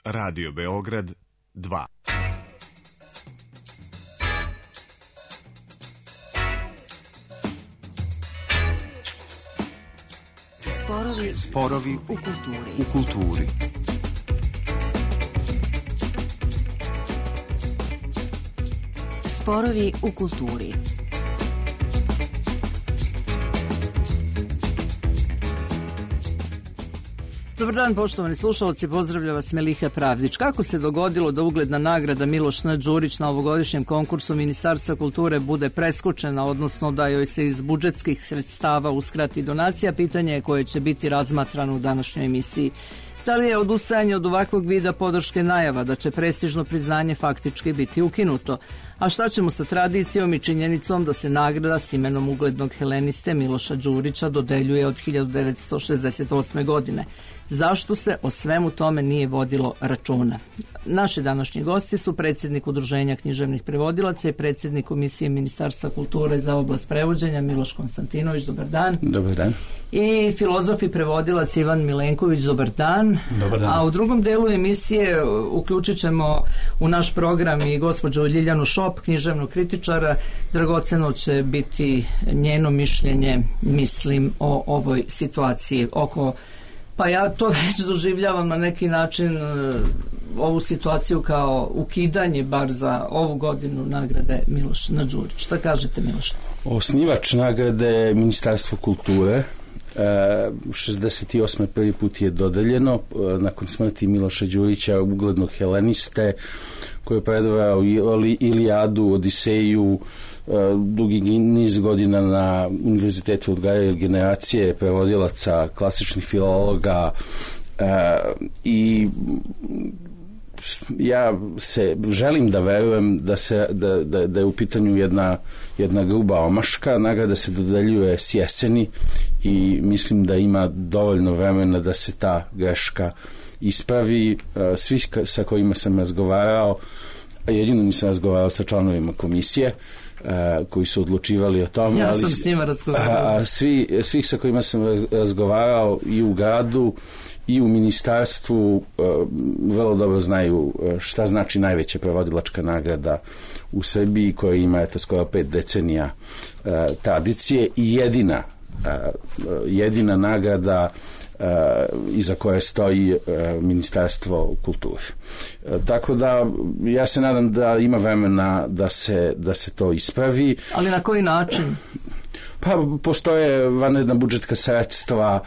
Radio Beograd 2. Sporovi u kulturi. Sporovi u kulturi. Dobar dan, poštovani slušalci, pozdravlja vas Meliha Pravdić. Kako se dogodilo da ugledna nagrada Miloš N. Đurić na ovogodišnjem konkursu Ministarstva kulture bude preskočena, odnosno da joj se iz budžetskih sredstava uskrati donacija, pitanje je koje će biti razmatrano u današnjoj emisiji. Da li je odustajanje od ovakvog vida podrške najava da će prestižno priznanje faktički biti ukinuto? A šta ćemo sa tradicijom i činjenicom da se nagrada s imenom uglednog heleniste Miloša Đurića dodeljuje od 1968. godine? Zašto se o svemu tome nije vodilo računa? Naši današnji gosti su predsjednik Udruženja književnih prevodilaca i predsjednik Komisije Ministarstva kulture za oblast prevođenja Miloš Konstantinović. Dobar dan. Dobar dan. I filozof i prevodilac Ivan Milenković. Dobar dan. Dobar dan. A u drugom delu emisije uključit ćemo u naš program i gospođu Ljiljanu Šop, književnog kritičara. Dragoceno će biti njeno mišljenje, mislim, o ovoj situaciji oko... Pa ja to već doživljavam na neki način, ovu situaciju kao ukidanje bar za ovu godinu nagrade Miloš N. Đurić. Šta kažete, Miloš? Osnivač nagrade je Ministarstvo kulture. 68. prvi put je dodeljeno nakon smrti Miloša Đurića, uglednog heleniste koji je predavao Ilijadu, Odiseju, dugi niz godina na univerzitetu odgajaju generacije prevodilaca, klasičnih filologa, i ja se želim da verujem da je u pitanju jedna gruba omaška. Nagrada se dodeljuje s jeseni i mislim da ima dovoljno vremena da se ta greška ispravi. Svi sa kojima sam razgovarao, jedino nisam razgovarao sa članovima komisije koji su odlučivali o tome. Ja sam s njima razgovarao. Svih sa kojima sam razgovarao i u gradu i u ministarstvu vrlo dobro znaju šta znači najveća prevodilačka nagrada u Srbiji, koja ima skoro 5 decenija tradicije i jedina nagrada iza koje stoji Ministarstvo kulture. Tako da ja se nadam da ima vremena da se to ispravi. Ali na koji način? Pa postoje vanredna budžetska sredstva,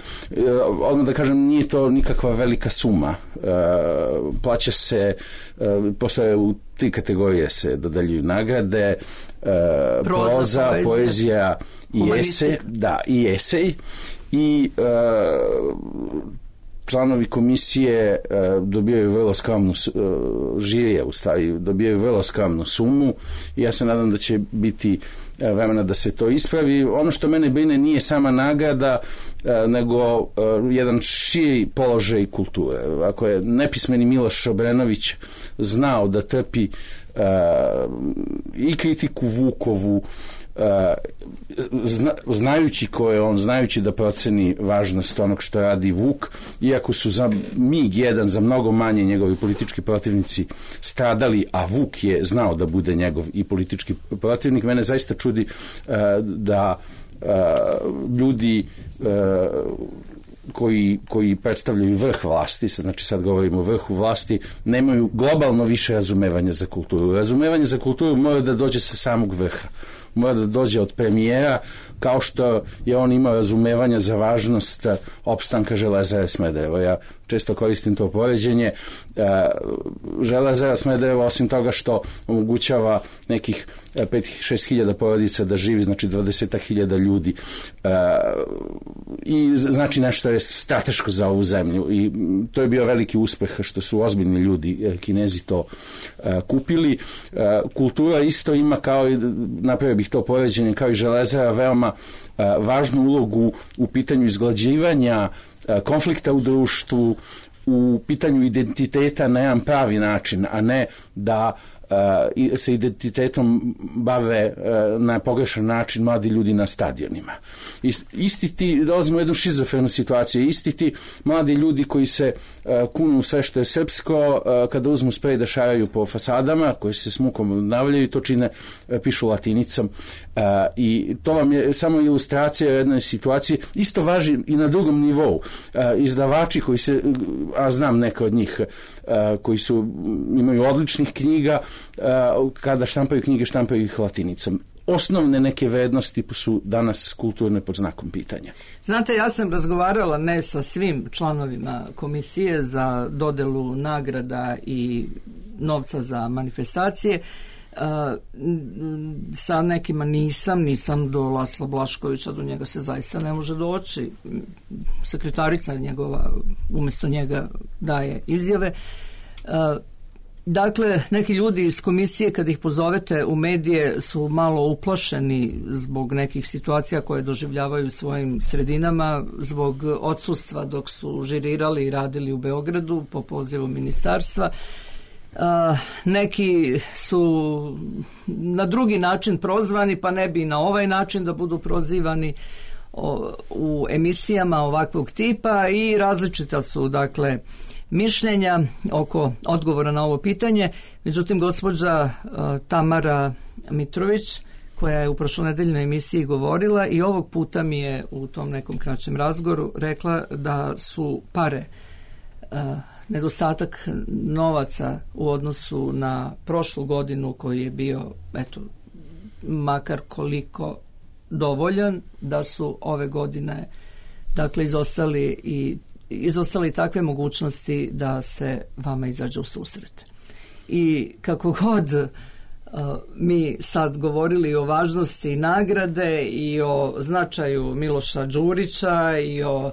odmah da kažem, nije to nikakva velika suma. Plaća se, postoje u 3 kategorije se dodeljuju nagrade, proza, poezija i esej. I članovi komisije dobijaju vrlo skromnu, žirija u stvari dobijaju vrlo skromnu sumu i ja se nadam da će biti vremena da se to ispravi. Ono što mene brine nije sama nagrada, nego jedan širi položaj kulture. Ako je nepismeni Miloš Obrenović znao da trpi i kritiku Vukovu, znajući ko je on, znajući da proceni važnost onog što radi Vuk, iako su za mig jedan, za mnogo manje njegovi politički protivnici stradali, a Vuk je znao da bude njegov i politički protivnik, mene zaista čudi da ljudi koji predstavljaju vrh vlasti, znači sad govorimo o vrhu vlasti, nemaju globalno više razumevanja za kulturu. Razumevanje za kulturu mora da dođe sa samog vrha, mora da dođe od premijera, kao što je on imao razumevanja za važnost opstanka Železare Smederevo. Ja često koristim to poređenje. Železara Smederevo, osim toga što omogućava nekih 5-6 hiljada porodica da živi, znači 20.000 ljudi, i znači nešto je strateško za ovu zemlju, i to je bio veliki uspeh što su ozbiljni ljudi, Kinezi, to kupili. Kultura isto ima, kao i, napravio bih to poređenje, kao i železara, veoma važnu ulogu u pitanju izglađivanja konflikta u društvu, u pitanju identiteta na jedan pravi način, a ne da sa identitetom bave na pogrešan način mladi ljudi na stadionima. Isti ti, dolazimo u jednu šizofrenu situaciju, isti ti mladi ljudi koji se kunu sve što je srpsko, kada uzmu sprej da šaraju po fasadama, koji se s mukom obnavljaju, to čine, pišu latinicom. I to vam je samo ilustracija jedne situacije. Isto važi i na drugom nivou. Izdavači koji se, a znam neka od njih, koji imaju odličnih knjiga, kada štampaju knjige, štampaju ih latinicom. Osnovne neke vrednosti su danas kulturne pod znakom pitanja. Znate, ja sam razgovarala ne sa svim članovima komisije za dodelu nagrada i novca za manifestacije. Sa nekima nisam do Lasla Blaškovića, do njega se zaista ne može doći. Sekretarica njegova umjesto njega daje izjave. Dakle, neki ljudi iz komisije kad ih pozovete u medije su malo uplašeni zbog nekih situacija koje doživljavaju u svojim sredinama, zbog odsustva dok su žirirali i radili u Beogradu po pozivu ministarstva. Neki su na drugi način prozvani, pa ne bi na ovaj način da budu prozivani u emisijama ovakvog tipa i različita su, dakle, mišljenja oko odgovora na ovo pitanje. Međutim, gospođa Tamara Mitrović, koja je u prošlonedeljnoj emisiji govorila i ovog puta mi je u tom nekom kraćem razgovoru rekla da su pare, nedostatak novaca u odnosu na prošlu godinu koji je bio, eto, makar koliko dovoljan, da su ove godine, dakle, izostali takve mogućnosti da se vama izađe u susret. I kako god mi sad govorili o važnosti nagrade i o značaju Miloša Đurića i o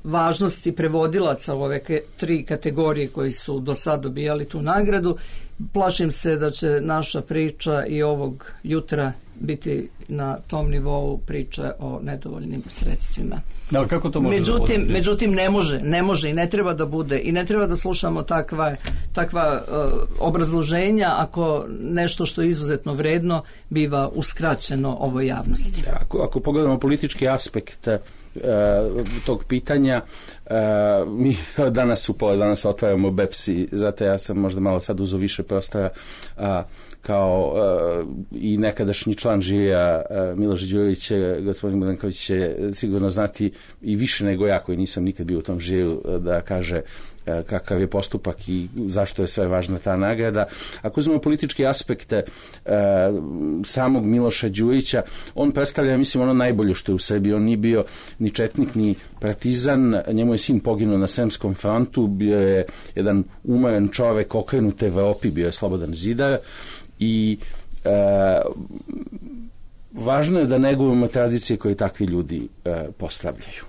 važnosti prevodilaca u ove 3 kategorije koji su do sad dobijali tu nagradu, plašim se da će naša priča i ovog jutra biti na tom nivou priče o nedovoljnim sredstvima. Da, kako to može međutim ne može i ne treba da bude i ne treba da slušamo takva obrazloženja ako nešto što je izuzetno vredno biva uskraćeno ovoj javnosti. Ako pogledamo politički aspekt tog pitanja, mi danas u pola danas otvaramo BEPS i zato ja sam možda malo sad uzeo više prostora kao i nekadašnji član žirija Miloš Đurić, gospodin Budanković će sigurno znati i više nego ja koji nisam nikad bio u tom žiriju da kaže kakav je postupak i zašto je sve važna ta nagrada. Ako uzmemo politički aspekte samog Miloša Đurića, on predstavlja, mislim, ono najbolje što je u Srbiji. On nije bio ni četnik, ni partizan, njemu je sin poginuo na Sremskom frontu, bio je jedan umoran čovek, okrenut Evropi, bio je slobodan zidar i važno je da negujemo tradicije koje takvi ljudi postavljaju.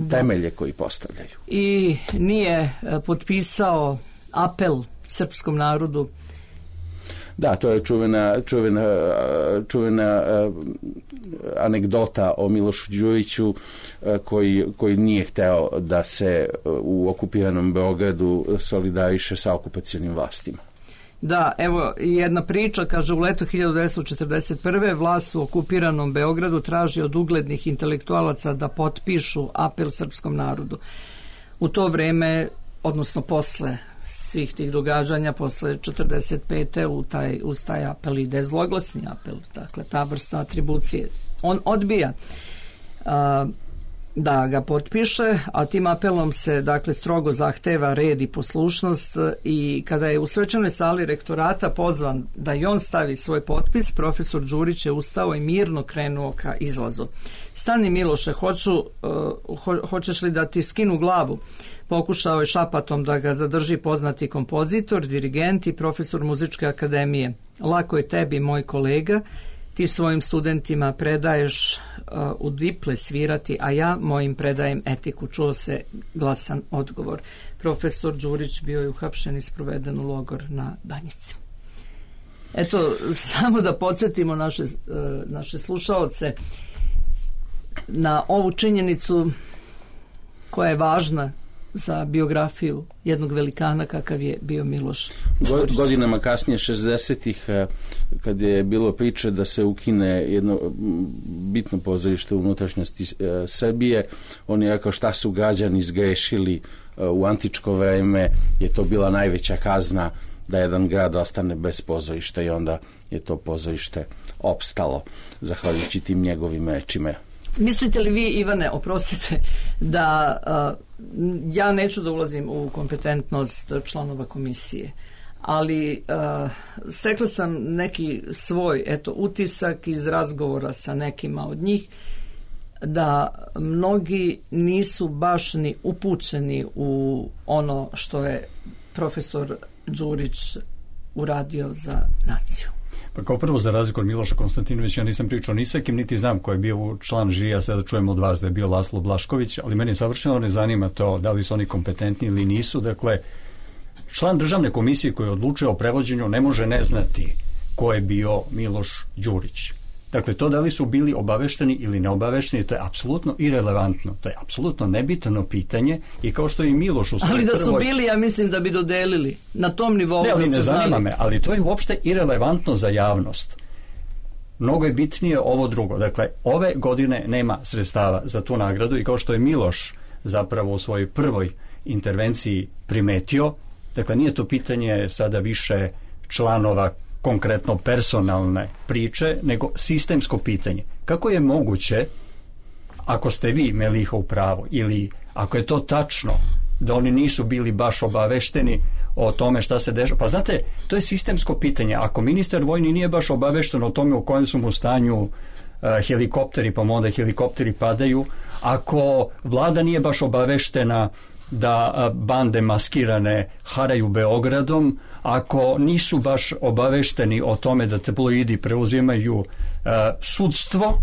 Temelje koji postavljaju. I nije potpisao apel srpskom narodu. Da, to je čuvena anegdota o Milošu Đuriću koji nije hteo da se u okupiranom Beogradu solidariše sa okupacionim vlastima. Da, evo jedna priča, kaže, u letu 1941. vlast u okupiranom Beogradu traži od uglednih intelektualaca da potpišu apel srpskom narodu. U to vreme, odnosno posle svih tih događanja, posle 45. uz taj apel ide zloglasni apel, dakle ta vrsta atribucije. On odbija da ga potpiše, a tim apelom se, dakle, strogo zahteva red i poslušnost i kada je u svečanoj sali rektorata pozvan da i on stavi svoj potpis, profesor Đurić je ustao i mirno krenuo ka izlazu. Stani, Miloše, hoćeš li da ti skinu glavu? Pokušao je šapatom da ga zadrži poznati kompozitor, dirigent i profesor muzičke akademije. Lako je tebi, moj kolega, ti svojim studentima predaješ u diple svirati, a ja mojim predajem etiku. Čuo se glasan odgovor. Profesor Đurić bio je uhapšen i sproveden u logor na Banjici. Eto, samo da podsjetimo naše slušaoce na ovu činjenicu koja je važna za biografiju jednog velikana kakav je bio Miloš Đurić. Godinama kasnije, 60-ih, kad je bilo priče da se ukine jedno bitno pozorište u unutrašnjosti Srbije, on je rekao šta su građani zgrešili u antičko vreme, je to bila najveća kazna da jedan grad ostane bez pozorišta, i onda je to pozorište opstalo zahvaljujući tim njegovim rečima. Mislite li vi, Ivane, oprostite, da ja neću da ulazim u kompetentnost članova komisije, ali stekla sam neki svoj utisak iz razgovora sa nekima od njih, da mnogi nisu baš ni upućeni u ono što je profesor Đurić uradio za naciju. Pa kao prvo, za razliku od Miloša Konstantinovića, ja nisam pričao ni sa kim, niti znam ko je bio član žirija, sada čujem od vas da je bio Laslo Blašković, ali meni savršeno ne zanima to da li su oni kompetentni ili nisu. Dakle, član državne komisije koji odlučuje o prevođenju ne može ne znati ko je bio Miloš Đurić. Dakle, to da li su bili obavešteni ili neobavešteni, to je apsolutno irelevantno. To je apsolutno nebitno pitanje, i kao što je i Miloš u svojoj Ali da su bili, ja mislim da bi dodelili na tom nivou. Ne, ali da ne zanima znali. Me, ali to je uopšte irelevantno za javnost. Mnogo je bitnije ovo drugo. Dakle, ove godine nema sredstava za tu nagradu, i kao što je Miloš zapravo u svojoj prvoj intervenciji primetio, dakle, nije to pitanje sada više članova konkretno personalne priče, nego sistemsko pitanje. Kako je moguće, ako ste vi, Meliha, u pravu, ili ako je to tačno, da oni nisu bili baš obavešteni o tome šta se dešava? Pa znate, to je sistemsko pitanje. Ako ministar vojni nije baš obavešten o tome u kojem su mu stanju helikopteri, pa onda helikopteri padaju, ako vlada nije baš obaveštena da bande maskirane haraju Beogradom, ako nisu baš obavešteni o tome da tabloidi preuzimaju sudstvo,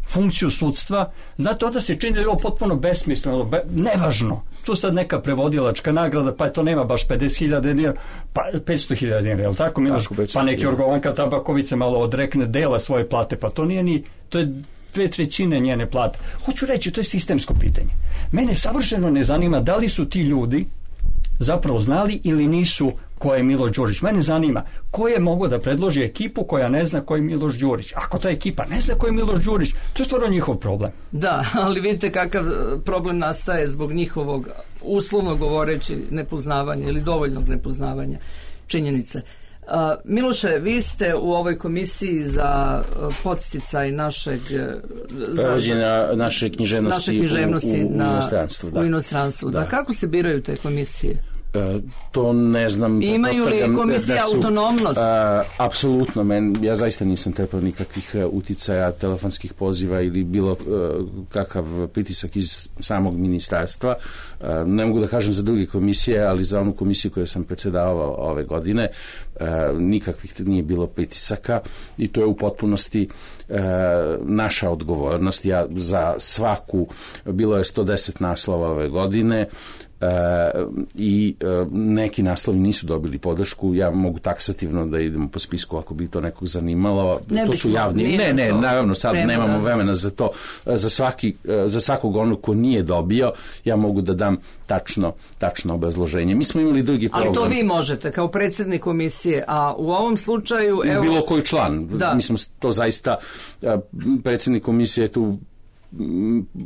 funkciju sudstva, znate, onda se čini da je ovo potpuno besmisleno, nevažno. Tu sad neka prevodilačka nagrada, pa to nema baš 50.000 dinara, pa 500.000 dinara, je li tako, Miloš? Pa neki Jorgovanka Tabaković malo odrekne dela svoje plate, pa to nije ni, to je 2/3 njene plate. Hoću reći, to je sistemsko pitanje. Mene savršeno ne zanima da li su ti ljudi zapravo znali ili nisu ko je Miloš Đurić. Mene zanima ko je mogao da predloži ekipu koja ne zna ko je Miloš Đurić. Ako ta ekipa ne zna ko je Miloš Đurić, to je stvarno njihov problem. Da, ali vidite kakav problem nastaje zbog njihovog, uslovno govoreći, nepoznavanja ili dovoljnog nepoznavanja činjenice. Miloše, vi ste u ovoj komisiji za podsticaj našeg prevođenja naše književnosti u inostranstvu. U inostranstvu. Da. Kako se biraju te komisije? To ne znam. Imaju li komisija autonomnost? Apsolutno. Ja zaista nisam trpao nikakvih uticaja, telefonskih poziva ili bilo kakav pritisak iz samog ministarstva. Ne mogu da kažem za druge komisije, ali za onu komisiju koju sam predsjedavao ove godine nikakvih nije bilo pritisaka, i to je u potpunosti naša odgovornost. Ja za svaku, bilo je 110 naslova ove godine, i neki naslovi nisu dobili podršku. Ja mogu taksativno da idemo po spisku ako bi to nekog zanimalo. To su javni. Ne, naravno sad nemamo vremena za to. Za svakog onog ko nije dobio, ja mogu da dam tačno obrazloženje. Mi smo imali drugi problem. Ali to vi možete kao predsjednik komisije, a u ovom slučaju bilo koji član. Mislim, to zaista predsjednik komisije tu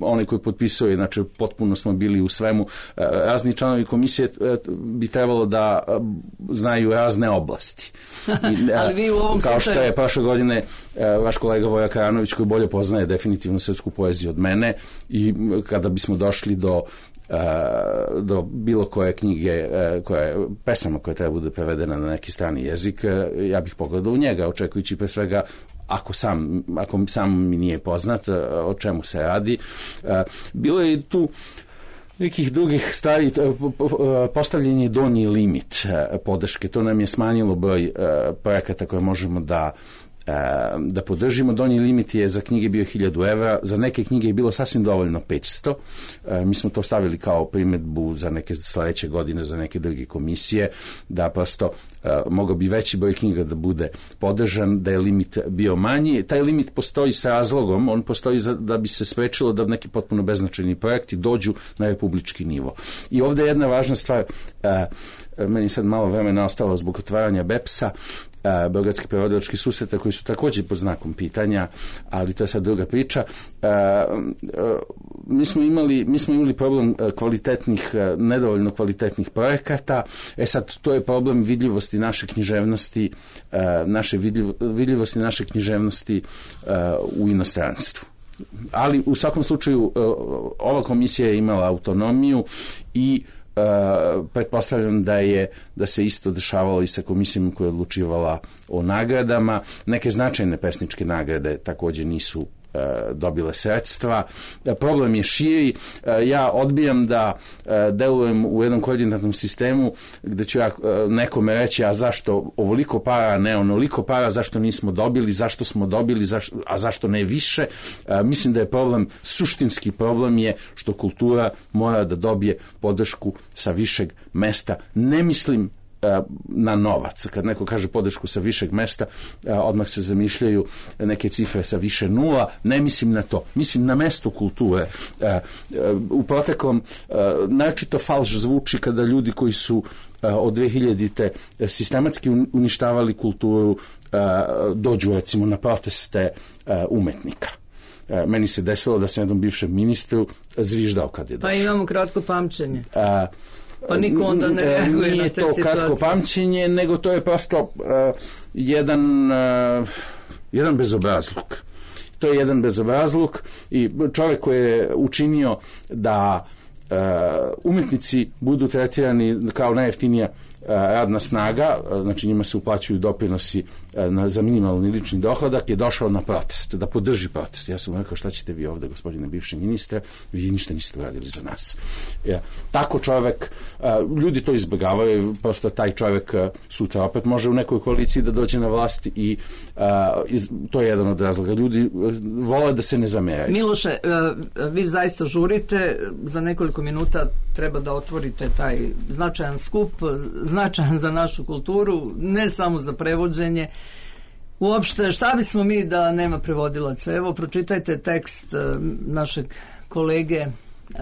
onaj koji potpisuje, znači potpuno smo bili u svemu. Razni članovi komisije bi trebalo da znaju razne oblasti. Ali vi u ovom kao što je prošle godine vaš kolega Voja Karanović, koji bolje poznaje definitivno srpsku poeziju od mene, i kada bismo došli do bilo koje knjige, pesama koja treba bude prevedena na neki strani jezik, ja bih pogledao u njega, očekujući pre svega, ako sam mi nije poznat o čemu se radi. Bilo je tu nekih drugih stvari, postavljen je donji limit podrške, to nam je smanjilo broj projekata koje možemo da da podržimo. Donji limit je za knjige bio 1000 evra, za neke knjige je bilo sasvim dovoljno 500. Mi smo to stavili kao primedbu za neke sledeće godine, za neke druge komisije, da prosto mogao bi veći broj knjiga da bude podržan, da je limit bio manji. Taj limit postoji sa razlogom, on postoji da bi se sprečilo da neki potpuno beznačajni projekti dođu na republički nivo. I ovde je jedna važna stvar, meni sad malo vremena ostalo zbog otvaranja BEPS-a, Beogradski prevodilački susreta, koji su također pod znakom pitanja, ali to je sad druga priča. Mi smo imali problem nedovoljno kvalitetnih projekata. Sad, to je problem vidljivosti naše književnosti, vidljivosti naše književnosti u inostranstvu. Ali u svakom slučaju ova komisija je imala autonomiju i pretpostavljam da se isto dešavalo i sa komisijom koja je odlučivala o nagradama. Neke značajne pesničke nagrade također nisu dobile sredstva. Problem je širi. Ja odbijam da delujem u jednom koordinatnom sistemu gde ću ja nekome reći, a zašto ovoliko para, a ne onoliko para, zašto nismo dobili, zašto smo dobili, a zašto ne više. Mislim da je problem, suštinski problem je što kultura mora da dobije podršku sa višeg mesta. Ne mislim na novac. Kad neko kaže podršku sa višeg mesta, odmah se zamišljaju neke cifre sa više nula. Ne mislim na to. Mislim na mesto kulture. U proteklom naročito falš zvuči kada ljudi koji su od 2000-te sistematski uništavali kulturu dođu recimo na proteste umetnika. Meni se desilo da sam jednom bivšem ministru zviždao kad je došao. Pa imamo kratko pamćenje. Pa niko onda ne reaguje nije na te situacije. Nije to kratko pamćenje, nego to je prosto jedan bezobrazluk. To je jedan bezobrazluk i čovjek koji je učinio da umetnici budu tretirani kao najjeftinija radna snaga, znači njima se uplaćuju doprinosi za minimalni lični dohodak, je došao na protest, da podrži protest. Ja sam rekao, šta ćete vi ovde, gospodine bivši ministre, vi ništa niste uradili za nas. Tako čovjek, ljudi to izbjegavaju, prosto taj čovjek sutra opet može u nekoj koaliciji da dođe na vlast i to je jedan od razloga. Ljudi vole da se ne zameraju. Miloše, vi zaista žurite, za nekoliko minuta treba da otvorite taj značajan skup, značajan za našu kulturu, ne samo za prevođenje. Uopšte, šta bismo mi da nema prevodilaca? Evo, pročitajte tekst našeg kolege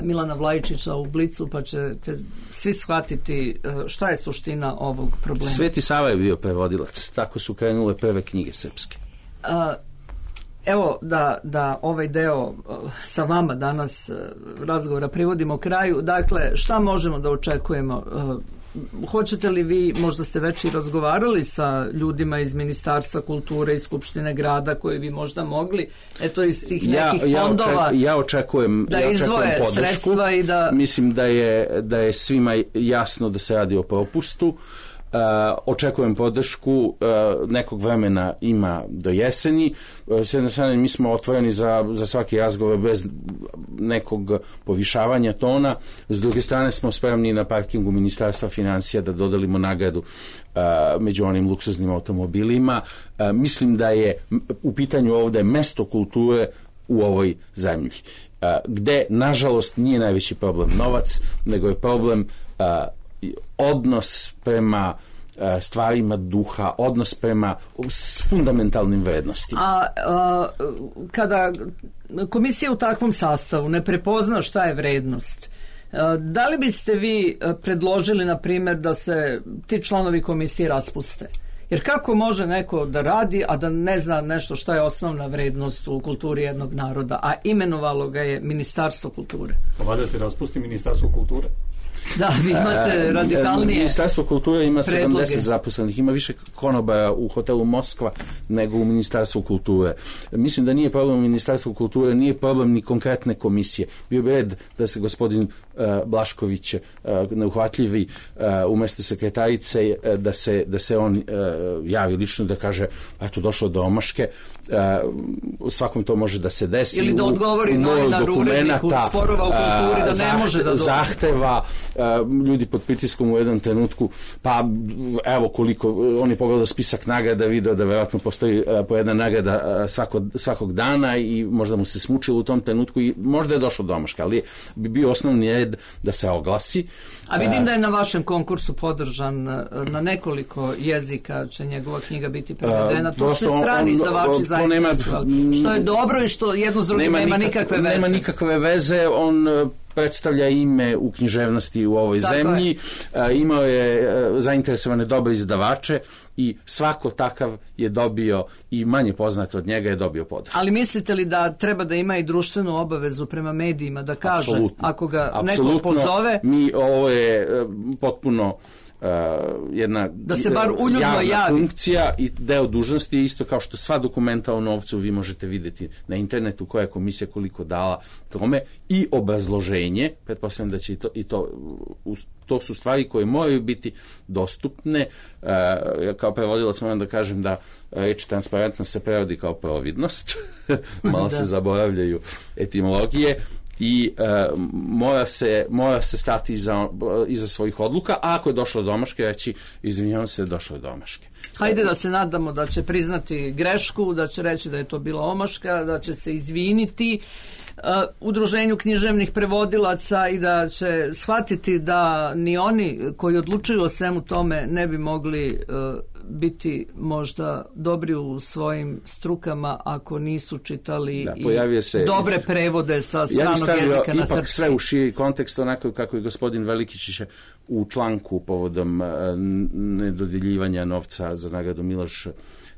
Milana Vlajičića u Blicu, pa ćete svi shvatiti šta je suština ovog problema. Sveti Sava je bio prevodilac, tako su krenule prve knjige srpske. Evo da ovaj deo sa vama danas razgovora privodimo kraju. Dakle, šta možemo da očekujemo? Hoćete li vi, možda ste već i razgovarali sa ljudima iz Ministarstva kulture i Skupštine grada koji bi možda mogli, eto iz tih nekih fondova ja očekujem izdvoje podršku. Sredstva i da... Mislim da je svima jasno da se radi o propustu. Očekujem podršku, nekog vremena ima do jeseni. S jedne strane mi smo otvoreni za svaki razgovor bez nekog povišavanja tona, s druge strane smo spremni na parkingu Ministarstva financija da dodelimo nagradu među onim luksuznim automobilima. Mislim da je u pitanju ovde mesto kulture u ovoj zemlji, gde nažalost nije najveći problem novac, nego je problem odnos prema stvarima duha, odnos prema fundamentalnim vrednostima. A kada komisija u takvom sastavu ne prepozna šta je vrednost, da li biste vi predložili, na primjer, da se ti članovi komisije raspuste? Jer kako može neko da radi, a da ne zna nešto šta je osnovna vrednost u kulturi jednog naroda, a imenovalo ga je Ministarstvo kulture? Pa valjda se raspusti Ministarstvo kulture? Da, vi imate radikalnije Ministarstvo kulture ima predloge. 70 zaposlenih, ima više konobara u hotelu Moskva nego u Ministarstvu kulture. Mislim da nije problem u Ministarstvu kulture, nije problem ni konkretne komisije. Bio bi red da se gospodin Blašković, neuhvatljivi, umjesto sekretarice, da se on javi lično, da kaže, eto, došlo do omaške. Svakom to može da se desi. Ili da odgovori novinaru, uredniku sporova u kulturi, da ne može da dođe. Zahteva, ljudi pod pritiskom u jednom trenutku, pa evo koliko, on je pogledao spisak nagrada, video da verovatno postoji po jedna nagrada svakog dana i možda mu se smučilo u tom trenutku i možda je došlo do omaška, ali bi bio osnovni red da se oglasi. A vidim da je na vašem konkursu podržan na nekoliko jezika, će njegova knjiga biti prevedena. To se strani izdavači zainteresovali. Što je dobro i što jedno s drugim nema nikakve veze. Nema nikakve veze, on predstavlja ime u književnosti u ovoj zemlji, imao je zainteresovane dobre izdavače i svako takav je dobio, i manje poznat od njega je dobio podršku. Ali mislite li da treba da ima i društvenu obavezu prema medijima, da kaže, apsolutno, ako ga neko pozove? Ovo je potpuno jedna da se bar uljudno javi. Funkcija i deo dužnosti je isto kao što sva dokumenta o novcu vi možete vidjeti na internetu koja je komisija koliko dala tome i obrazloženje, pretpostavljam da će to su stvari koje moraju biti dostupne. Kao prevodilac moram da kažem da reč transparentnost se prevodi kao providnost, malo se zaboravljaju etimologije. I mora se stati iza svojih odluka, a ako je došlo do omaške, reći izvinjavam se, došlo je do omaške. Hajde da se nadamo da će priznati grešku, da će reći da je to bila omaška, da će se izviniti Udruženju književnih prevodilaca i da će shvatiti da ni oni koji odlučuju o svemu tome ne bi mogli biti možda dobri u svojim strukama ako nisu čitali dobre prevode sa stranog jezika na srpski. Ipak sve u širi kontekst, onako kako je gospodin Velikić u članku povodom nedodjeljivanja novca za nagradu Miloš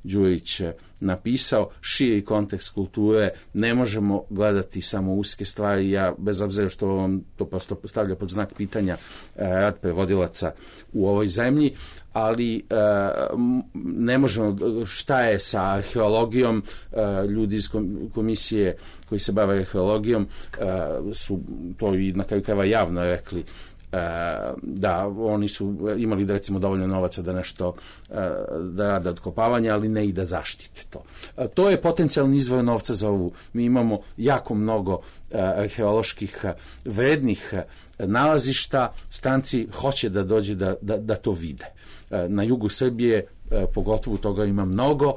Đurić napisao, širi kontekst kulture, ne možemo gledati samo uske stvari. Ja, bez obzira što vam to prosto stavlja pod znak pitanja rad prevodilaca u ovoj zemlji, ali ne možemo, šta je sa arheologijom, ljudi iz komisije koji se bave arheologijom su to i na kraju krajeva javno rekli, da oni su imali recimo dovoljno novaca da nešto da rade otkopavanje, ali ne i da zaštite to. To je potencijalni izvor novca za ovu. Mi imamo jako mnogo arheoloških vrednih nalazišta, stranci hoće da dođe da to vide. Na jugu Srbije pogotovo toga ima mnogo.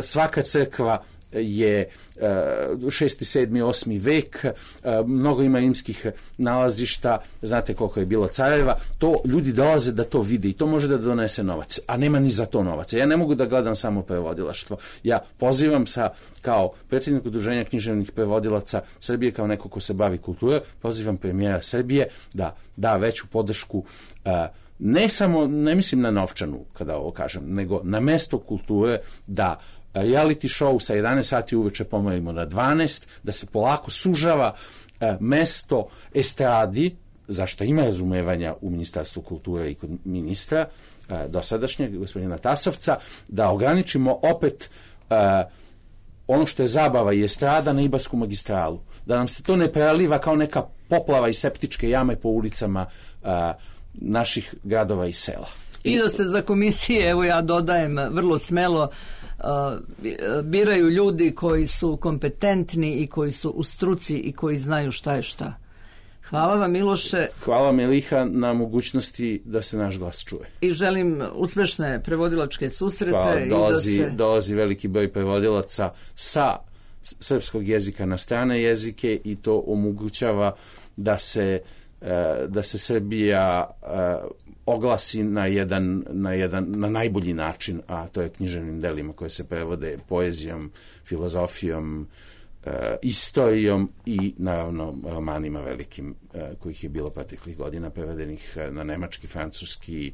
Svaka crkva je 6., 7., 8. vek, mnogo ima rimskih nalazišta, znate koliko je bilo careva, to ljudi dolaze da to vide i to može da donese novac, a nema ni za to novaca. Ja ne mogu da gledam samo prevodilaštvo. Ja pozivam kao predsjednik Udruženja književnih prevodilaca Srbije, kao neko ko se bavi kulturom, pozivam premijera Srbije da da veću podršku, ne mislim na novčanu kada ovo kažem, nego na mesto kulture, da reality show sa 11 sati uveče pomerimo na 12, da se polako sužava mesto estradi, zašto ima razumevanja u Ministarstvu kulture i kod ministra dosadašnjeg, gospodina Tasovca, da ograničimo opet ono što je zabava i estrada na Ibarsku magistralu. Da nam se to ne preliva kao neka poplava i septičke jame po ulicama naših gradova i sela. I da se za komisije, evo ja dodajem vrlo smelo, biraju ljudi koji su kompetentni i koji su u struci i koji znaju šta je šta. Hvala vam, Miloše. Hvala, Meliha, na mogućnosti da se naš glas čuje. I želim uspešne prevodilačke susrete. Hvala, dolazi veliki broj prevodilaca sa srpskog jezika na strane jezike i to omogućava da se Srbija oglasi na najbolji način, a to je književnim delima koje se prevode poezijom, filozofijom, istorijom i naravno romanima velikim kojih je bilo proteklih godina prevedenih na nemački, francuski,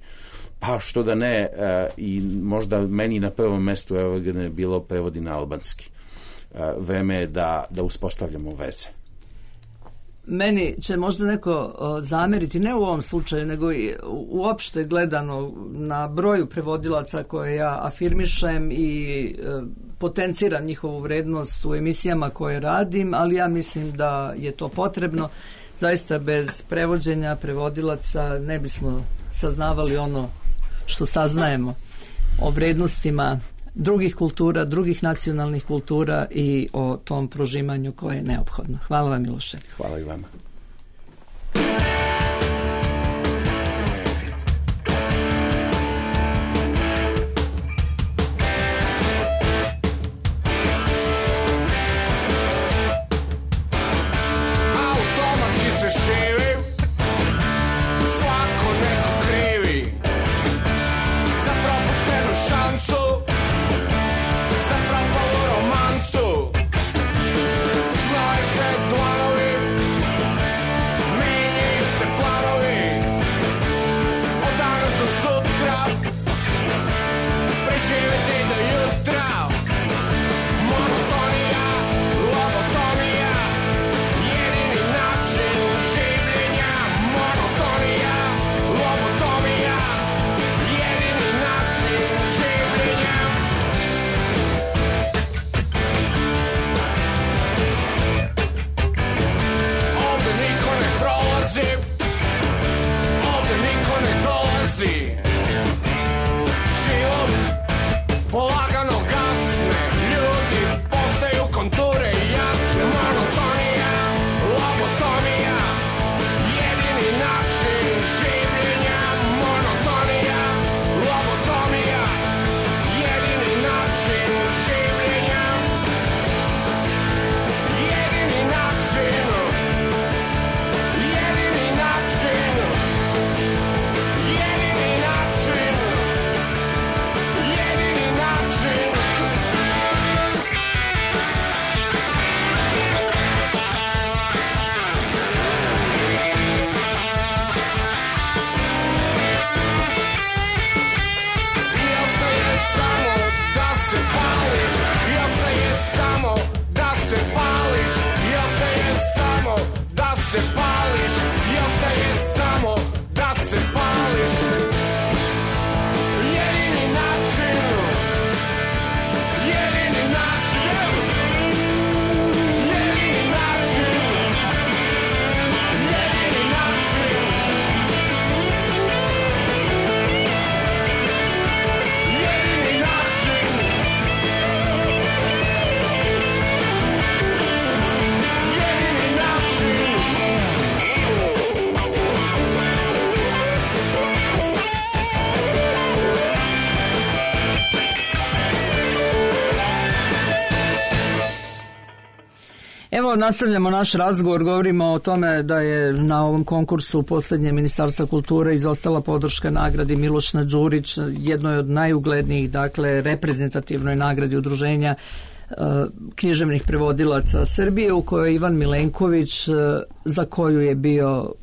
pa što da ne, i možda meni na prvom mestu je bilo prevodi na albanski. Vreme je da uspostavljamo veze. Meni će možda neko zameriti, ne u ovom slučaju, nego i uopšte gledano na broju prevodilaca koje ja afirmišem i potenciram njihovu vrednost u emisijama koje radim, ali ja mislim da je to potrebno. zaista bez prevođenja, prevodilaca ne bismo saznavali ono što saznajemo o vrednostima drugih kultura, drugih nacionalnih kultura i o tom prožimanju koje je neophodno. Hvala vam, Miloše. Hvala i vama. Evo, nastavljamo naš razgovor, govorimo o tome da je na ovom konkursu posljednje Ministarstva kulture izostala podrška nagradi Miloš Đurić, jednoj od najuglednijih, dakle, reprezentativnoj nagradi udruženja književnih prevodilaca Srbije, u kojoj je Ivan Milenković, za koju je bio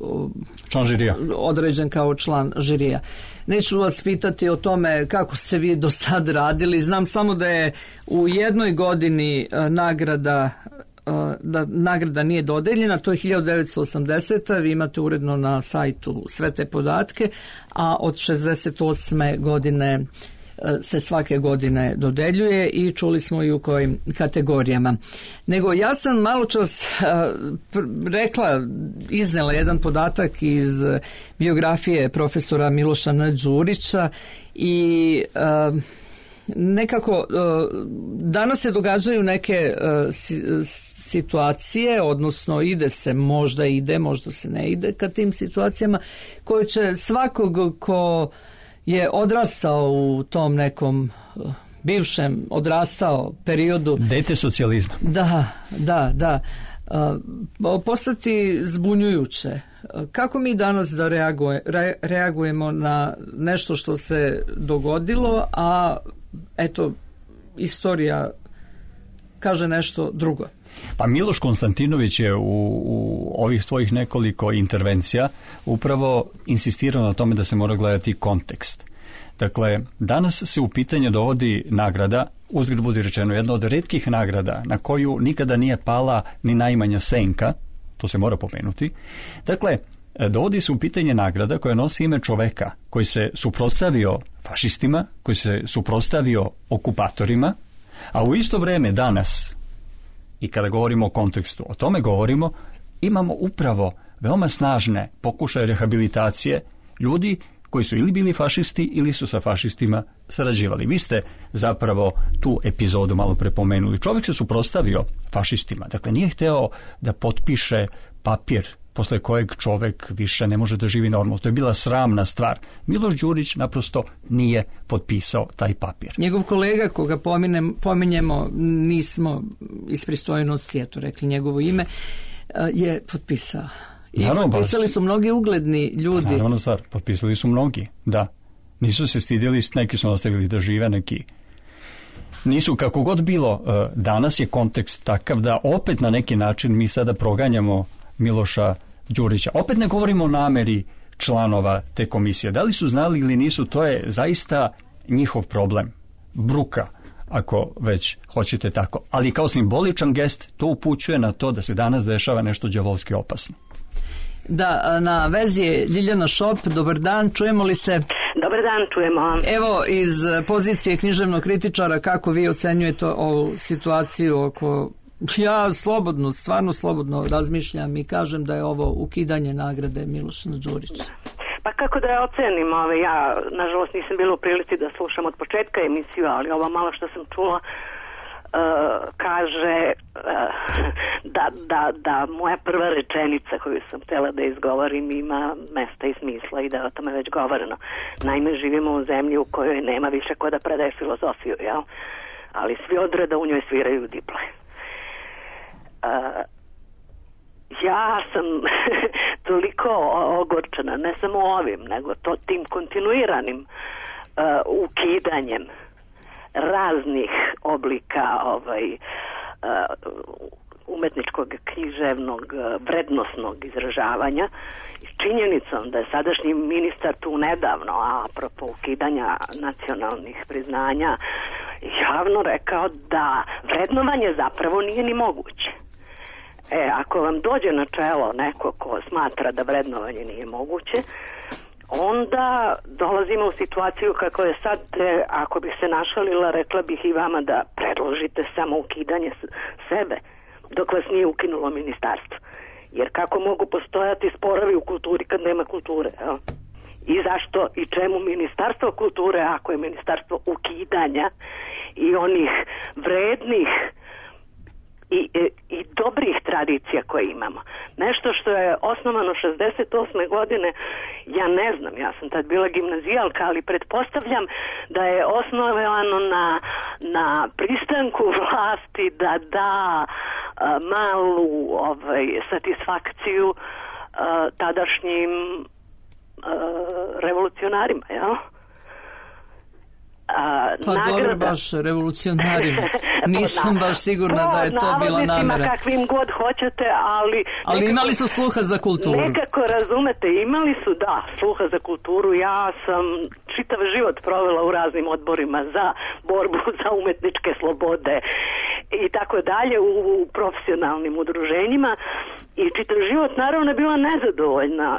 član žirija, određen kao član žirija. Neću vas pitati o tome kako ste vi do sad radili, znam samo da je u jednoj godini nagrada nije dodeljena, to je 1980. Vi imate uredno na sajtu sve te podatke, a od 68. godine se svake godine dodeljuje i čuli smo i u kojim kategorijama. Nego ja sam malo čas iznela jedan podatak iz biografije profesora Miloša Đurića i nekako danas se događaju neke situacije, odnosno možda se ne ide ka tim situacijama koje će svakog ko je odrastao u tom nekom bivšem odrastao periodu. Dete socijalizma. Da. Postati zbunjujuće. Kako mi danas da reagujemo na nešto što se dogodilo, a eto, istorija kaže nešto drugo? Pa Miloš Konstantinović je u ovih svojih nekoliko intervencija upravo insistirao na tome da se mora gledati kontekst. Dakle, danas se u pitanje dovodi nagrada, uzgred budi rečeno, jedna od retkih nagrada na koju nikada nije pala ni najmanja senka, to se mora pomenuti. Dakle, dovodi se u pitanje nagrada koja nosi ime čoveka koji se suprotstavio fašistima, koji se suprotstavio okupatorima, a u isto vreme danas, i kada govorimo o kontekstu, o tome govorimo, imamo upravo veoma snažne pokušaje rehabilitacije ljudi koji su ili bili fašisti ili su sa fašistima sarađivali. Vi ste zapravo tu epizodu malo prepomenuli. Čovjek se suprotstavio fašistima. Dakle, nije hteo da potpiše papir posle kojeg čovjek više ne može da živi normalno. To je bila sramna stvar. Miloš Đurić naprosto nije potpisao taj papir. Njegov kolega, koga pominjemo, nismo iz pristojnosti, eto rekli njegovo ime, je potpisao. I naravno, potpisali su mnogi ugledni ljudi. Naravno, stvar, potpisali su mnogi, da. Nisu se stidjeli, neki su nastavili da žive, neki nisu. Kako god bilo, danas je kontekst takav da opet na neki način mi sada proganjamo Miloša Đurića. Opet ne govorimo o nameri članova te komisije. Da li su znali ili nisu, to je zaista njihov problem. Bruka, ako već hoćete tako. Ali kao simboličan gest to upućuje na to da se danas dešava nešto đavolski opasno. Da, na vezi je Ljiljana Šop. Dobar dan, čujemo li se? Dobar dan, čujemo. Evo, iz pozicije književnog kritičara, kako vi ocenjujete ovu situaciju oko... Ja slobodno, stvarno slobodno razmišljam i kažem da je ovo ukidanje nagrade Miloša Đurića. Pa kako da je ocenim, ja nažalost nisam bila u prilici da slušam od početka emisiju, ali ovo malo što sam čula kaže da moja prva rečenica koju sam htjela da izgovorim ima mesta i smisla i da je o tome već govoreno. Naime, živimo u zemlji u kojoj nema više ko da predaje filozofiju, jel? Ali svi odreda u njoj sviraju diple. Ja sam toliko ogorčena, ne samo ovim, nego tim kontinuiranim ukidanjem raznih oblika umetničkog, književnog, vrednosnog izražavanja i činjenicom da je sadašnji ministar tu nedavno, a apropo ukidanja nacionalnih priznanja, javno rekao da vrednovanje zapravo nije ni moguće. Ako vam dođe na čelo neko ko smatra da vrednovanje nije moguće, onda dolazimo u situaciju kako je sad, ako bih se našalila, rekla bih i vama da predložite samo ukidanje sebe, dok vas nije ukinulo ministarstvo. Jer kako mogu postojati sporovi u kulturi kad nema kulture, jel? I zašto i čemu ministarstvo kulture ako je ministarstvo ukidanja i onih vrednih i dobrih tradicija koje imamo. Nešto što je osnovano 68. godine, ja ne znam, ja sam tad bila gimnazijalka, ali pretpostavljam da je osnovano na pristanku vlasti da malu satisfakciju tadašnjim revolucionarima, jel? Dobro, baš revolucionarima. Nisam baš sigurna da je to bila namera. Kakvim god hoćete, ali imali su sluha za kulturu. Nekako razumete, imali su, da, sluha za kulturu. Ja sam čitav život provela u raznim odborima za borbu za umetničke slobode i tako dalje, u profesionalnim udruženjima, i čitav život naravno je bila nezadovoljna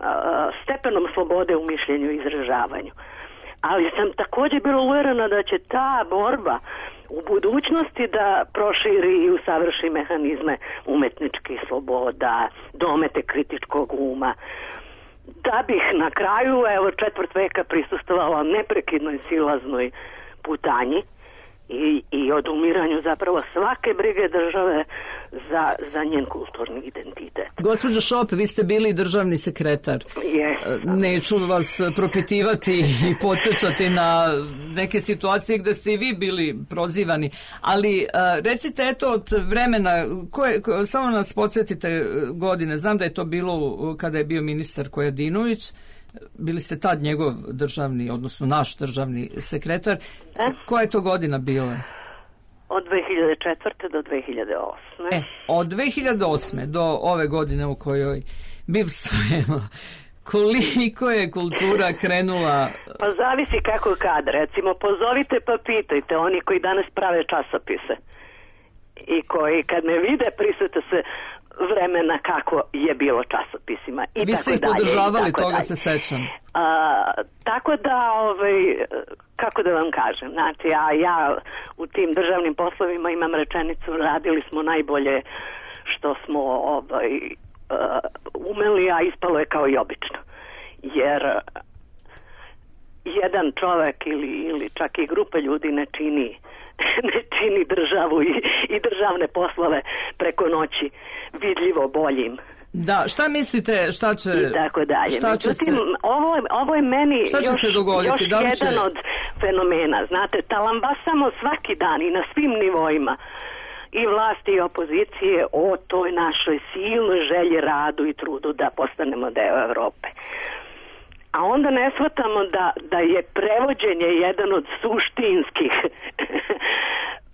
stepenom slobode u mišljenju i izražavanju. Ali sam također bila uvjerena da će ta borba u budućnosti da proširi i usavrši mehanizme umetničkih sloboda, domete kritičkog uma. Da bih na kraju, četvrt veka prisustvovala neprekidnoj silaznoj putanji i odumiranju zapravo svake brige države za njen kulturni identitet. Gospođo Šop, vi ste bili državni sekretar. Neću vas propitivati i podsjećati na neke situacije gde ste i vi bili prozivani, ali recite, eto, od vremena, samo nas podsjetite godine, znam da je to bilo kada je bio ministar Kojadinović, bili ste tad njegov državni, odnosno naš državni sekretar. Koja je to godina bila? Od 2004. do 2008. Od 2008. do ove godine u kojoj bivstvujemo, koliko je kultura krenula? Pa zavisi kako kad. Recimo, pozovite pa pitajte oni koji danas prave časopise i koji kad me vide prisjete se vremena kako je bilo časopisima. Vi ste ih podržavali, toga se sećam. Tako da, kako da vam kažem, znači, ja u tim državnim poslovima imam rečenicu, radili smo najbolje što smo umeli, a ispalo je kao i obično. Jer jedan čovek ili čak i grupa ljudi ne čini državu i državne poslove preko noći vidljivo boljim. Da, šta mislite, šta će... I tako dalje. Međutim, ovo je meni još jedan od fenomena. Znate, talambasamo svaki dan i na svim nivoima, i vlasti i opozicije, o toj našoj silnoj želji, radu i trudu da postanemo deo Evrope. A onda ne shvatamo da je prevođenje jedan od suštinskih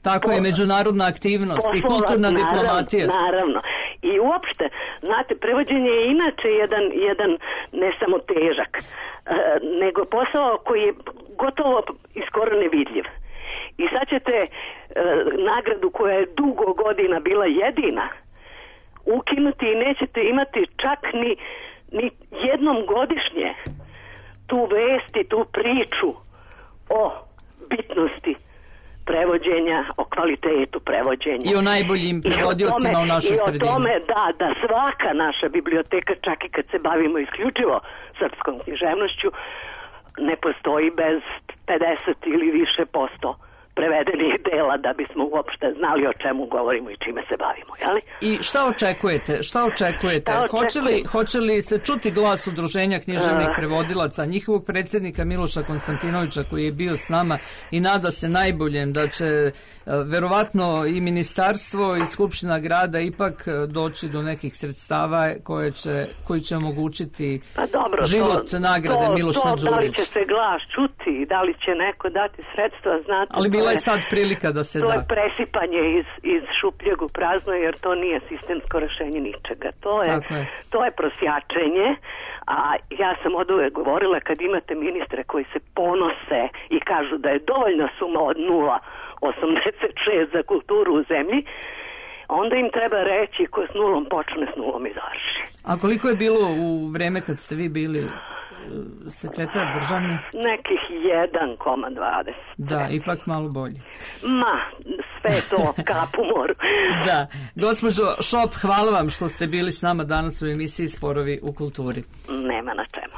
tako je, međunarodna aktivnost i kulturna diplomatija. Naravno. I uopšte, znate, prevođenje je inače jedan ne samo težak, nego posao koji je gotovo i skoro nevidljiv. I sad ćete nagradu koja je dugo godina bila jedina ukinuti i nećete imati čak ni jednom godišnje tu vest i tu priču o bitnosti prevođenja, o kvalitetu prevođenja. I o najboljim prevodiocima u našoj sredini. I o tome da svaka naša biblioteka, čak i kad se bavimo isključivo srpskom književnošću, ne postoji bez 50 ili više posto prevedenih dela da bismo uopšte znali o čemu govorimo i čime se bavimo, jeli? I šta očekujete? Hoće li se čuti glas Udruženja književnih prevodilaca, njihovog predsjednika Miloša Konstantinovića koji je bio s nama i nada se najboljem da će verovatno i ministarstvo i Skupština grada ipak doći do nekih sredstava koji će omogućiti život nagrade Miloš Đurić? Da li će se glas čuti, da li će neko dati sredstva, znate? Ali bila je sad prilika da se da. To je presipanje iz šupljeg u prazno, jer to nije sistemsko rešenje ničega. To je prosjačenje, a ja sam od uvek govorila, kad imate ministre koji se ponose i kažu da je dovoljna suma od 0,86 za kulturu u zemlji, onda im treba reći ko s nulom počne, s nulom i završi. A koliko je bilo u vreme kad ste vi bili sekretar državni? Nekih 1,20. Da, ipak malo bolje. Sve to kap u moru. Da. Gospođo Šop, hvala vam što ste bili s nama danas u emisiji Sporovi u kulturi. Nema na čemu.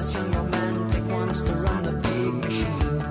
Young romantic wants to run the big machine.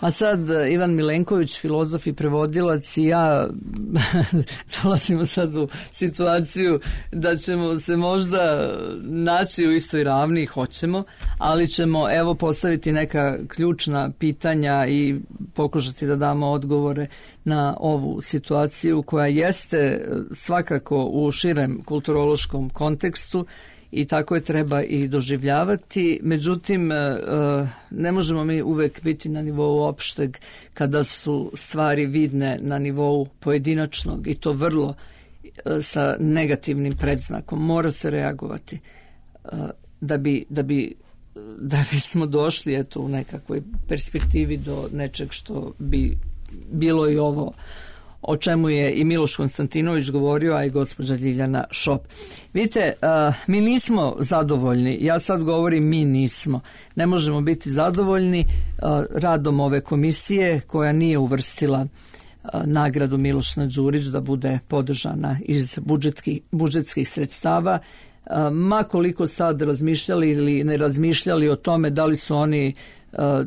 A sad Ivan Milenković, filozof i prevodilac, i ja dolazimo sad u situaciju da ćemo se možda naći u istoj ravni, hoćemo, ali ćemo evo postaviti neka ključna pitanja i pokušati da damo odgovore na ovu situaciju koja jeste svakako u širem kulturološkom kontekstu i tako je treba i doživljavati. Međutim, ne možemo mi uvek biti na nivou opšteg kada su stvari vidne na nivou pojedinačnog i to vrlo sa negativnim predznakom. Mora se reagovati da bismo došli eto, u nekakvoj perspektivi do nečeg što bi bilo i ovo o čemu je i Miloš Konstantinović govorio, a i gospođa Ljiljana Šop. Vidite, mi nismo zadovoljni, ja sad govorim mi nismo, ne možemo biti zadovoljni radom ove komisije koja nije uvrstila nagradu Miloš Đurić da bude podržana iz budžetskih sredstava, ma koliko sad razmišljali ili ne razmišljali o tome da li su oni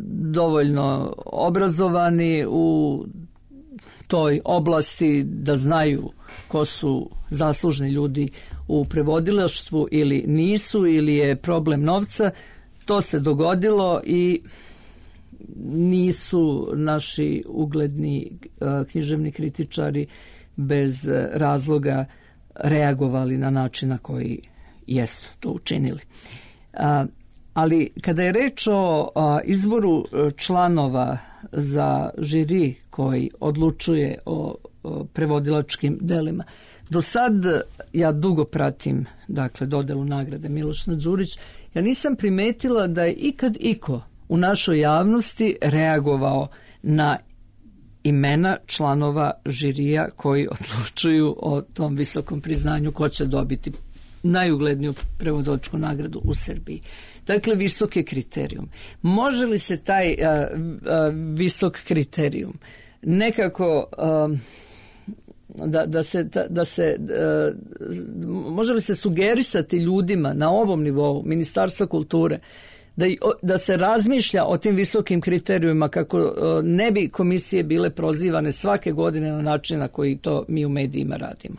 dovoljno obrazovani u toj oblasti da znaju ko su zaslužni ljudi u prevodilaštvu ili nisu, ili je problem novca. To se dogodilo i nisu naši ugledni književni kritičari bez razloga reagovali na način na koji jesu to učinili. Ali kada je reč o izboru članova za žiri koji odlučuje o prevodilačkim delima, do sad ja dugo pratim dodelu nagrade Miloš Đurić, ja nisam primetila da je ikad iko u našoj javnosti reagovao na imena članova žirija koji odlučuju o tom visokom priznanju ko će dobiti najugledniju prevodilačku nagradu u Srbiji. Dakle, visok je kriterijum. Može li se taj visok kriterijum nekako može li se sugerisati ljudima na ovom nivou Ministarstva kulture da se razmišlja o tim visokim kriterijumima kako ne bi komisije bile prozivane svake godine na način na koji to mi u medijima radimo?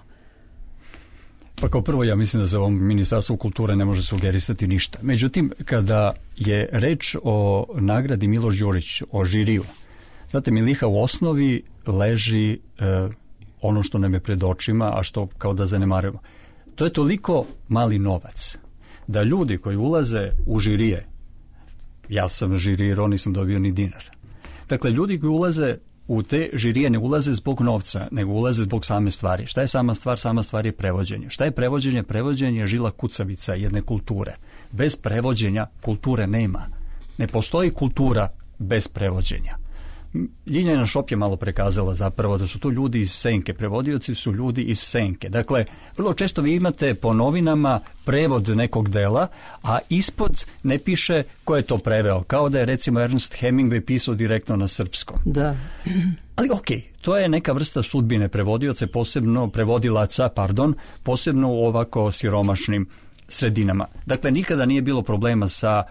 Pa kao prvo ja mislim da za ovom Ministarstvu kulture ne može sugerisati ništa. Međutim, kada je reč o nagradi Miloš Đurić, o žiriju, znate, Miliha, u osnovi leži ono što nam je pred očima, a što kao da zanemarujemo. To je toliko mali novac da ljudi koji ulaze u žirije, ja sam žirirao, nisam dobio ni dinar. Dakle, ljudi koji ulaze u te žirije ne ulaze zbog novca, nego ulaze zbog same stvari. Šta je sama stvar? Sama stvar je prevođenje. Šta je prevođenje? Prevođenje je žila kucavica jedne kulture. Bez prevođenja kulture nema. Ne postoji kultura bez prevođenja. Ljiljana Šop je malo prekazala zapravo da su to ljudi iz senke. Prevodioci su ljudi iz senke. Dakle, vrlo često vi imate po novinama prevod nekog dela, a ispod ne piše ko je to preveo. Kao da je recimo Ernest Hemingway pisao direktno na srpskom. Da. Ali to je neka vrsta sudbine prevodioce, posebno u ovako siromašnim sredinama. Dakle, nikada nije bilo problema sa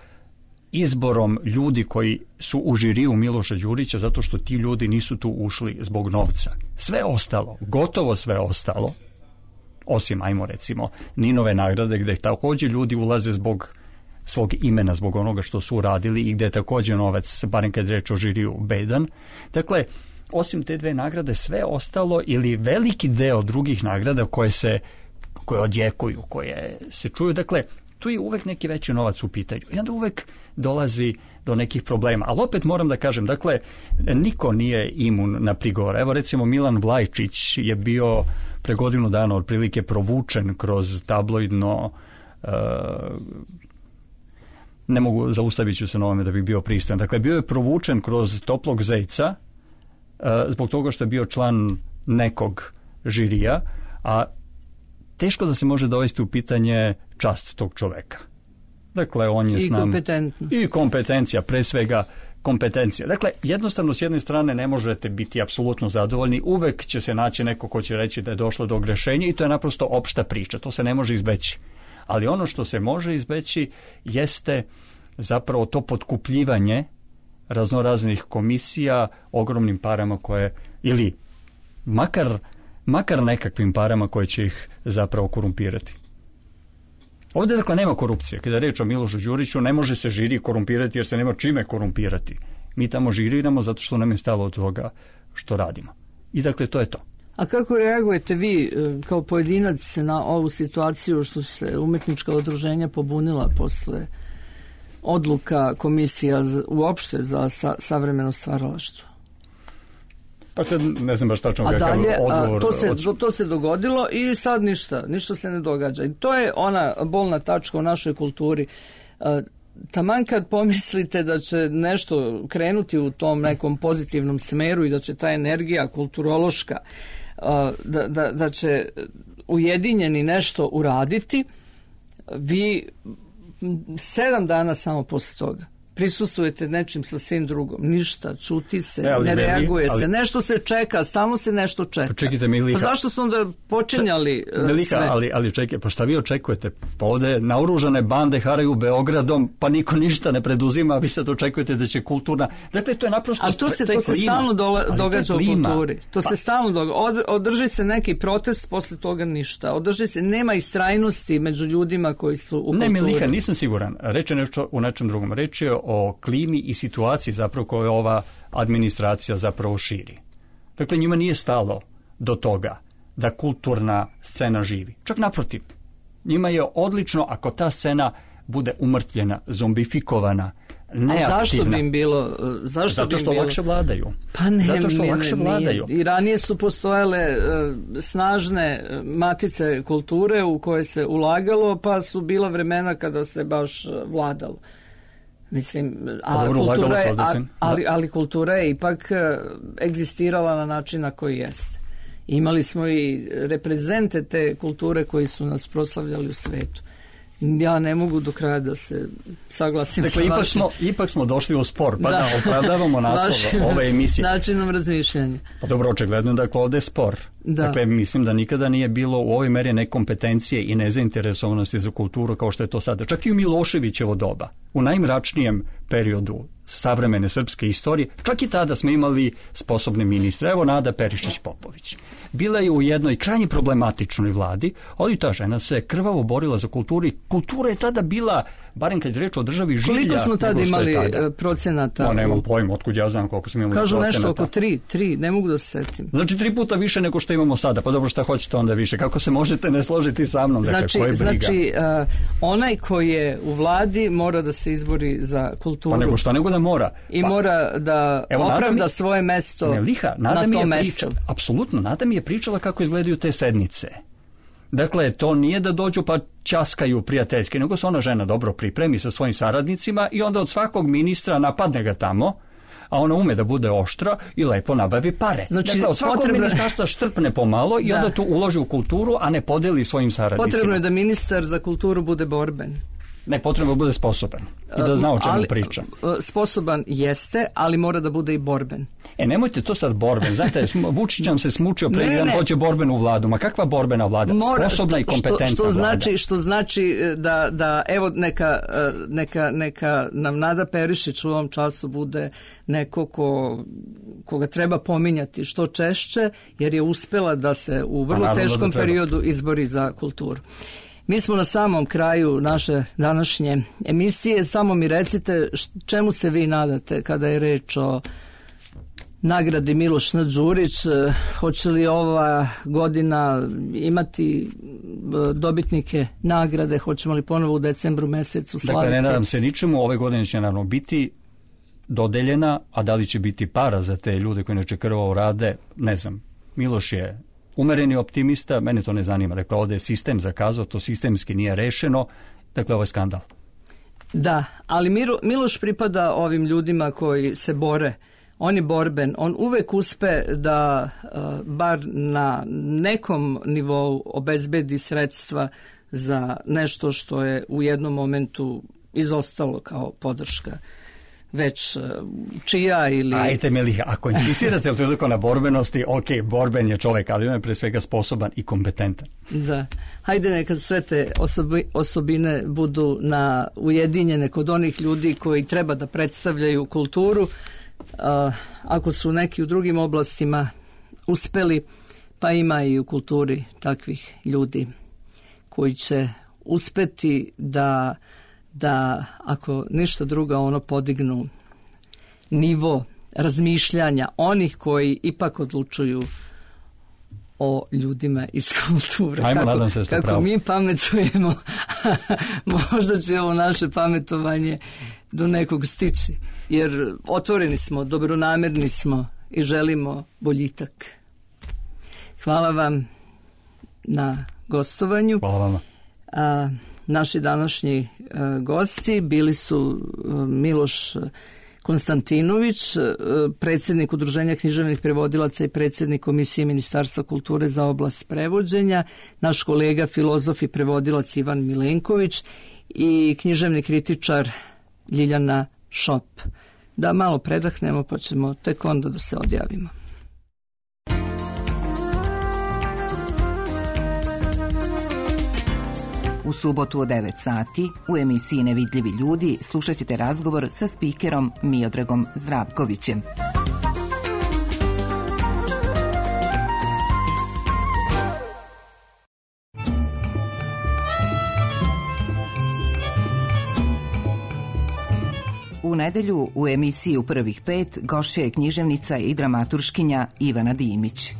izborom ljudi koji su u žiriju Miloša Đurića, zato što ti ljudi nisu tu ušli zbog novca. Sve ostalo, gotovo sve ostalo, osim, ajmo recimo, Ninove nagrade, gde također ljudi ulaze zbog svog imena, zbog onoga što su uradili i gde je također novac, barem kad je reč o žiriju, bedan. Dakle, osim te dve nagrade, sve ostalo ili veliki deo drugih nagrada koje odjekuju, koje se čuju, dakle, tu je uvek neki veći novac u pitanju. I onda uvek dolazi do nekih problema. Ali opet moram da kažem, dakle, niko nije imun na prigovor. Evo recimo Milan Vlajčić je bio pre godinu dana otprilike provučen kroz tabloidno, ne mogu, zaustavit ću se na ovome da bih bio pristojan. Dakle, bio je provučen kroz toplog zejca zbog toga što je bio član nekog žirija, a teško da se može dovesti u pitanje čast tog čoveka. Dakle, on je s nama. I kompetencija, pre svega kompetencija. Dakle, jednostavno s jedne strane ne možete biti apsolutno zadovoljni, uvek će se naći neko ko će reći da je došlo do grešenja i to je naprosto opšta priča, to se ne može izbeći. Ali ono što se može izbeći jeste zapravo to potkupljivanje raznoraznih komisija, ogromnim parama koje, ili makar nekakvim parama koje će ih zapravo korumpirati. Ovdje dakle nema korupcije. Kada je reč o Milošu Đuriću, ne može se žiri korumpirati jer se nema čime korumpirati. Mi tamo žiriramo zato što nam je stalo od toga što radimo. I dakle to je to. A kako reagujete vi kao pojedinac na ovu situaciju što se umjetnička udruženja pobunila posle odluka komisija uopšte za savremeno stvaralaštvo? Pa sad ne znam baš tačno kakav odgovor. To se dogodilo i sad ništa se ne događa. I to je ona bolna tačka u našoj kulturi. Taman kad pomislite da će nešto krenuti u tom nekom pozitivnom smeru i da će ta energija kulturološka da će ujedinjeni nešto uraditi, vi 7 dana samo posle toga prisustvujete nečim sasvim drugom. Ništa, čuti se, ne reaguje se. Nešto se čeka, stalno se nešto čeka. Čekajte, Miliha. Pa zašto su onda počinjali Miliha, sve? ali čekaj, pa šta vi očekujete? Pa ovde naoružane bande haraju Beogradom, pa niko ništa ne preduzima, a vi sad očekujete da će kulturna... Dakle, to je naprosto... Ali to se stalno događa u kulturi. To se stalno događa. Održi se neki protest, posle toga ništa. Održi se, nema istrajnosti među ljudima koji su u kulturi. Ne, Miliha, nisam siguran. Reč je nešto u nečem drugom. Reč je o klimi i situaciji zapravo koju ova administracija zapravo širi. Dakle, njima nije stalo do toga da kulturna scena živi. Čak naprotiv. Njima je odlično ako ta scena bude umrtvljena, zombifikovana, neaktivna. A zašto bi im bilo? Zato što lakše vladaju. Pa ne, zato što lakše vladaju. I ranije su postojale snažne matice kulture u koje se ulagalo, pa su bila vremena kada se baš vladalo. Mislim, ali kultura je ipak egzistirala na način na koji jeste. Imali smo i reprezente te kulture koji su nas proslavljali u svetu. Ja ne mogu do kraja da se saglasim sa vašim. Ipak smo došli u spor, pa da opravdavamo naslov ove emisije. Načinom razmišljanja. Pa dobro, očigledno dakle ovde je spor. Da. Dakle, mislim da nikada nije bilo u ovoj meri nekompetencije i nezainteresovanosti za kulturu kao što je to sada. Čak i u Miloševićevo doba, u najmračnijem periodu savremene srpske istorije, čak i tada smo imali sposobne ministre. Evo Nada Perišić-Popović. Bila je u jednoj krajnje problematičnoj vladi, ali ta žena se krvavo borila za kulturu i kultura je tada bila, barem kad je reč o državi, žilja. Koliko smo tada imali procenata? No, nemam pojma, otkud ja znam koliko smo imali procenata. Kažu nešto oko 3, ne mogu da se setim. Znači 3 puta više nego što imamo sada, pa dobro šta hoćete onda više, kako se možete ne složiti sa mnom? Znači, onaj koji je u vladi mora da se izbori za kulturu. Pa nego šta nego da mora. I mora da opravda svoje mesto na tom mestu. Apsolutno, Nada mi je pričala kako izgledaju te sednice. Dakle, to nije da dođu pa časkaju prijateljski, nego se ona žena dobro pripremi sa svojim saradnicima i onda od svakog ministra napadne ga tamo, a ona ume da bude oštra i lepo nabavi pare. Znači, dakle, od svakog ministarstva štrpne pomalo i onda tu uloži u kulturu, a ne podeli svojim saradnicima. Potrebno je da ministar za kulturu bude borben. Ne, potrebno da bude sposoban i da zna o čemu priča. Sposoban jeste, ali mora da bude i borben. Nemojte to sad borben. Znate, Vučić nam se smučio pre jedan hoće borbenu vladu. Ma kakva borbena vlada? Sposobna i kompetentna vlada. Što znači da evo neka nam Nada Perišić u ovom času bude neko koga treba pominjati što češće, jer je uspela da se u vrlo teškom periodu izbori za kulturu. Mi smo na samom kraju naše današnje emisije. Samo mi recite čemu se vi nadate kada je reč o nagradi Miloš N. Đurić. Hoće li ova godina imati dobitnike nagrade? Hoćemo li ponovo u decembru mesecu slaviti? Dakle, ne nadam se ničemu. Ove godine će naravno biti dodeljena, a da li će biti para za te ljude koji neće krvavo rade, ne znam. Miloš je umereni optimista, mene to ne zanima. Dakle, ovdje je sistem zakazao, to sistemski nije rešeno. Dakle, ovo je skandal. Da, ali Miloš pripada ovim ljudima koji se bore. On je borben. On uvek uspe da bar na nekom nivou obezbedi sredstva za nešto što je u jednom momentu izostalo kao podrška već čija ili... Ajte Meliha, ako insistirate toliko na borbenosti, ok, borben je čovjek, ali on je pre svega sposoban i kompetentan. Da. Hajde neka sve te osobine budu ujedinjene kod onih ljudi koji treba da predstavljaju kulturu. Ako su neki u drugim oblastima uspeli, pa ima i u kulturi takvih ljudi koji će uspeti da ako ništa drugo podignu nivo razmišljanja onih koji ipak odlučuju o ljudima iz kulture. Ajmo, nadam se ste kako mi pametujemo, možda će ovo naše pametovanje do nekog stići. Jer otvoreni smo, dobronamerni smo i želimo boljitak. Hvala vam na gostovanju. Hvala vama. Naši današnji gosti bili su Miloš Konstantinović, predsjednik Udruženja književnih prevodilaca i predsjednik Komisije Ministarstva kulture za oblast prevođenja, naš kolega filozof i prevodilac Ivan Milenković i književni kritičar Ljiljana Šop. Da malo predahnemo pa ćemo tek onda da se odjavimo. U subotu od 9 sati u emisiji Nevidljivi ljudi slušat ćete razgovor sa spikerom Miodragom Zdravkovićem. U nedelju u emisiji U prvih 5 gošća je književnica i dramaturškinja Ivana Dimić.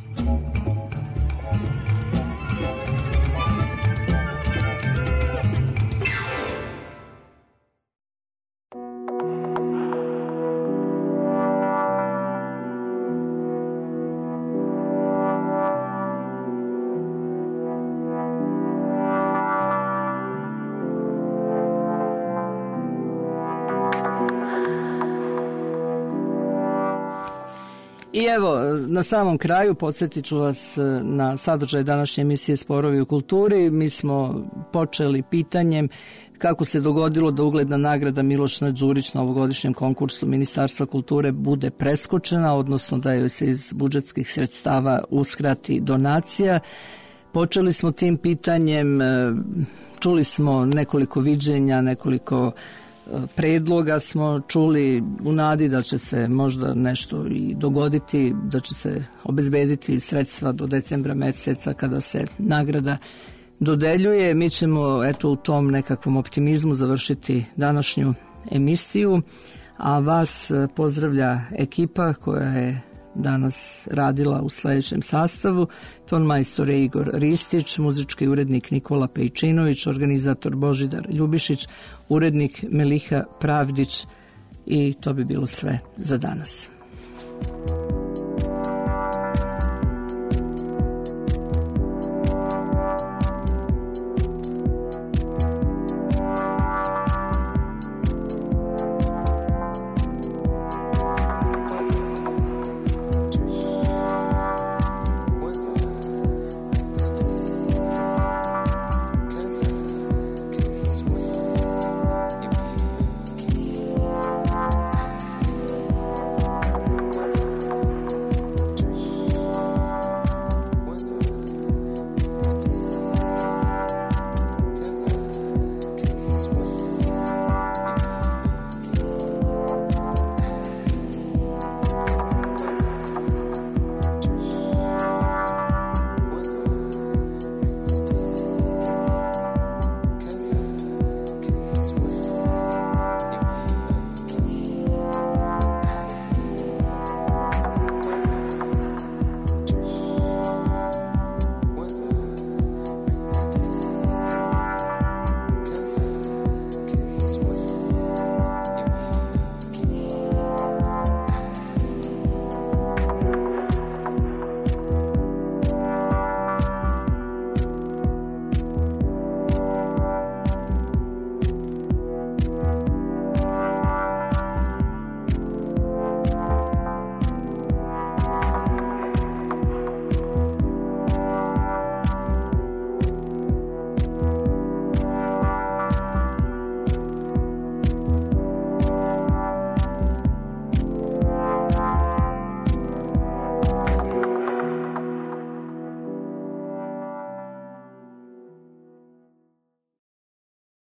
I evo, na samom kraju podsjetit ću vas na sadržaj današnje emisije Sporovi u kulturi. Mi smo počeli pitanjem kako se dogodilo da ugledna nagrada Miloš Đurić na ovogodišnjem konkursu Ministarstva kulture bude preskočena, odnosno da joj se iz budžetskih sredstava uskrati donacija. Počeli smo tim pitanjem, čuli smo nekoliko viđenja, nekoliko predloga smo čuli u nadi da će se možda nešto i dogoditi, da će se obezbediti sredstva do decembra meseca kada se nagrada dodeljuje. Mi ćemo u tom nekakvom optimizmu završiti današnju emisiju, a vas pozdravlja ekipa koja je danas radila u sljedećem sastavu: tonmajstor Igor Ristić, muzički urednik Nikola Pejčinović, organizator Božidar Ljubišić, urednik Meliha Pravdić, i to bi bilo sve za danas.